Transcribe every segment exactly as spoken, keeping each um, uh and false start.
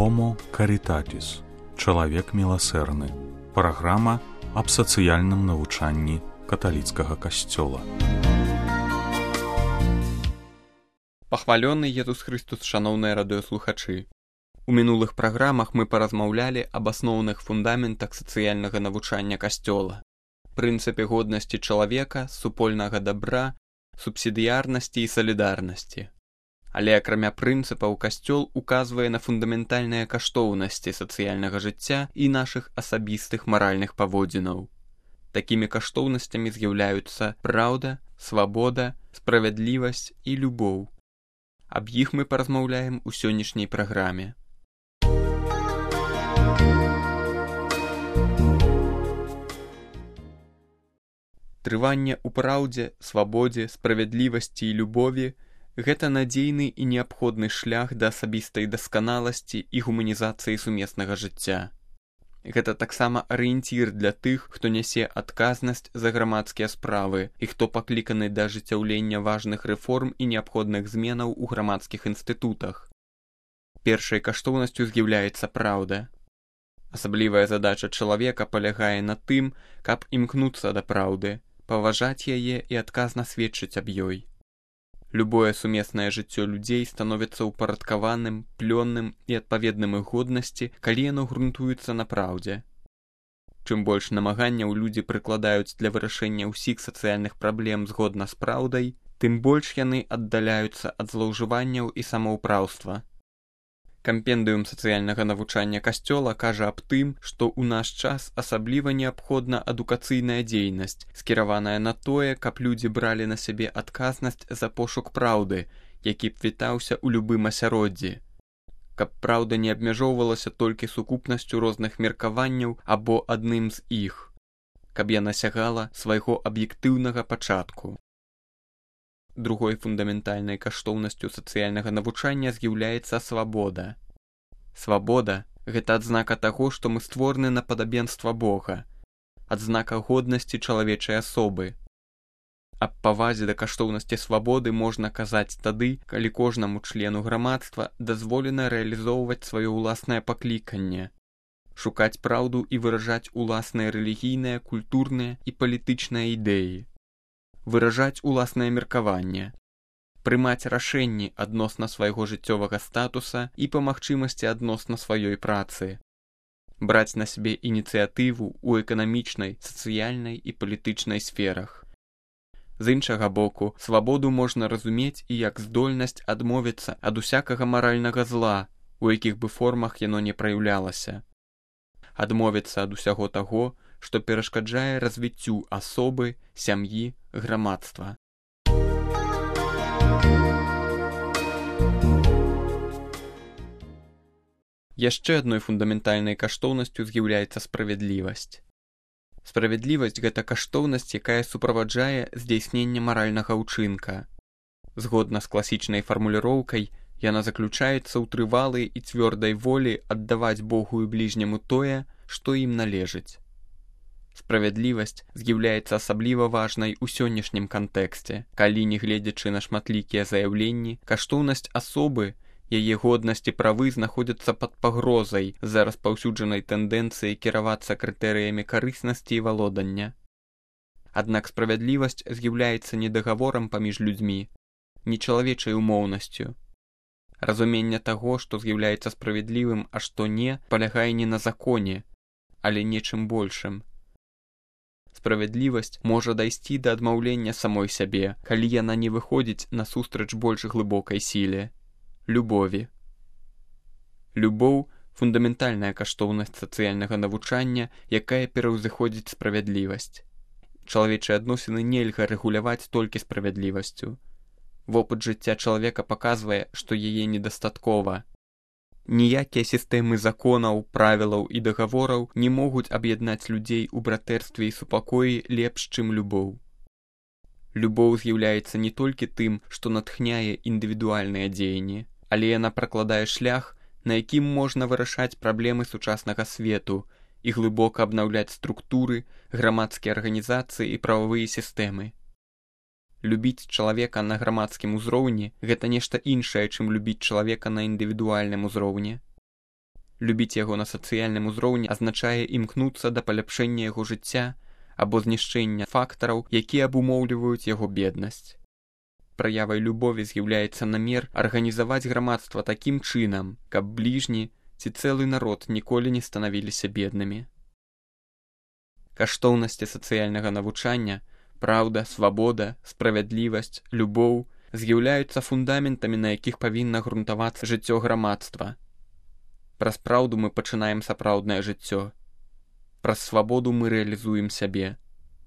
Homo Caritatis. Чалавек міласэрны. Праграма аб сацыяльным навучанні каталіцкага касцёла. Пахвалёны Езус Христус, шаноўныя радыёслухачы. У мінулых праграмах мы паразмаўлялі аб асноўных фундаментах сацыяльнага навучання касцёла, прынцыпе годнасці чалавека, супольнага дабра, субсідыярнасці і салідарнасці. Але акрамя прынцыпаў касцёл указвае на фундаментальныя каштоўнасці сацыяльнага жыцця і нашых асабістых маральных паводзінаў. Такімі каштоўнасцямі з'яўляюцца праўда, свабода, справядлівасць і любоў. Аб іх мы паразмаўляем у сённяшняй праграме. Трыванне ў праўдзе, свабодзе, справядлівасці і любові – гэта надзейны і неабходны шлях да асабістай дасканаласці і гуманізацыі сумеснага жыцця. Гэта таксама арыенцір для тых, хто нясе адказнасць за грамадскія справы і хто пакліканы да ажыццяўлення важных рэформ і неабходных зменаў у грамадскіх інстытутах. Першай каштоўнасцю з'яўляецца праўда. Асаблівая задача чалавека палягае на тым, каб імкнуцца да праўды, паважаць яе і адказна сведчыць аб ёй. Любое сумеснае жыццё людзей становіцца ўпарадкаваным, плённым і адпаведным іх годнасці, калі яно грунтуецца на праўдзе. Чым больш намаганняў людзі прыкладаюць для вырашэння ўсіх сацыяльных праблем згодна з праўдай, тым больш яны аддаляюцца ад злоўжыванняў і самаўпраўства. Кампендыум сацыяльнага навучання касцёла кажа аб тым, што ў наш час асабліва неабходна адукацыйная дзейнасць, скіраваная на тое, каб людзі бралі на сябе адказнасць за пошук праўды, які б вітаўся ў любым асяроддзі. Каб праўда не абмяжоўвалася толькі сукупнасцю розных меркаванняў або адным з іх. Каб яна сягала свайго аб'ектыўнага пачатку. Другой фундаментальнай каштоўнасцю сацыяльнага навучання з'яўляецца свабода. Свабода – гэта адзнака таго, што мы створаны на падабенства Бога, адзнака годнасці чалавечай асобы. Аб павазе да каштоўнасці свабоды можна казаць тады, калі кожнаму члену грамадства дазволена рэалізоўваць сваё ўласнае пакліканне, шукаць праўду і выражаць уласныя рэлігійныя, культурныя і палітычныя ідэі, выражаць уласнае меркаванне, прымаць рашэнні адносна свайго жыццёвага статуса і па магчымасці адносна сваёй працы, браць на сябе ініцыятыву ў эканамічнай, сацыяльнай і палітычнай сферах. З іншага боку, свабоду можна разумець і як здольнасць адмовіцца ад усякага маральнага зла, у якіх бы формах яно не праяўлялася. Адмовіцца ад усяго таго, што перашкаджае развіццю асобы, сям'і, грамадства. Яшчэ адной фундаментальнай каштоўнасцю з'яўляецца справядлівасць. Справядлівасць – гэта каштоўнасць, якая суправаджае здзяйсненне маральнага ўчынка. Згодна з класічнай фармуліроўкай, яна заключаецца ў трывалай і цвёрдай волі аддаваць Богу і бліжняму тое, што ім належыць. Справядлівасць з'яўляецца асабліва важнай у сённяшнім кантэксце, калі, не гледзячы на шматлікія заяўленні, каштоўнасць асобы, яе годнасць і правы знаходзяцца пад пагрозай з-за распаўсюджанай тэндэнцыі кіравацца крытэрыямі карыснасці і валодання. Аднак справядлівасць з'яўляецца не дагаворам паміж людзьмі, не чалавечай умоўнасцю. Разуменне таго, што з'яўляецца справядлівым, а што не, палягае не на законе, але нечым большым. Справядлівасць можа дайсці да адмаўлення самой сябе, калі яна не выходзіць насустрач больш глыбокай сіле – любові. Любоў – фундаментальная каштоўнасць сацыяльнага навучання, якая пераўзыходзіць справядлівасць. Чалавечыя адносіны нельга рэгуляваць толькі справядлівасцю. Вопыт жыцця чалавека паказвае, што яе недастаткова. Ніякія сістэмы законаў, правілаў і дагавораў не могуць аб'яднаць людзей у братэрстве і супакоі лепш, чым любоў. Любоў з'яўляецца не толькі тым, што натхняе індывідуальныя дзеянні, але яна пракладае шлях, на якім можна вырашаць праблемы сучаснага свету і глыбока абнаўляць структуры, грамадскія арганізацыі і прававыя сістэмы. Любіць чалавека на грамадскім узроўні – гэта нешта іншае, чым любіць чалавека на індывідуальным узроўні. Любіць яго на сацыяльным узроўні азначае імкнуцца да паляпшэння яго жыцця або знішчэння фактараў, якія абумоўліваюць яго беднасць. Праявай любові з'яўляецца намер арганізаваць грамадства такім чынам, каб бліжні ці цэлы народ ніколі не станавіліся беднымі. Каштоўнасці сацыяльнага навучання, праўда, свабода, справядлівасць, любоў з'яўляюцца фундаментамі, на якіх павінна грунтавацца жыццё грамадства. Праз праўду мы пачынаем сапраўднае жыццё. Праз свабоду мы рэалізуем сябе.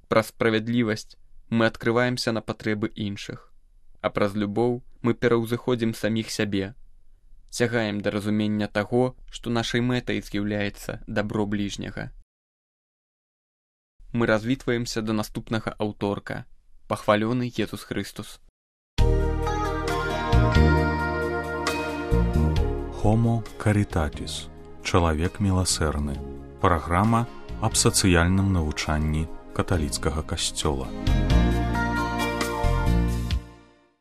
Праз справядлівасць мы адкрываемся на патрэбы іншых. А праз любоў мы пераўзыходзім саміх сябе. Цягаем да разумення таго, што нашай мэтай з'яўляецца дабро бліжняга. Мы развітваемся да наступнага аўторка. Пахвалёны Езус Хрыстус. Homo Caritatis. Чалавек міласэрны. Праграма аб сацыяльным навучанні каталіцкага касцёла.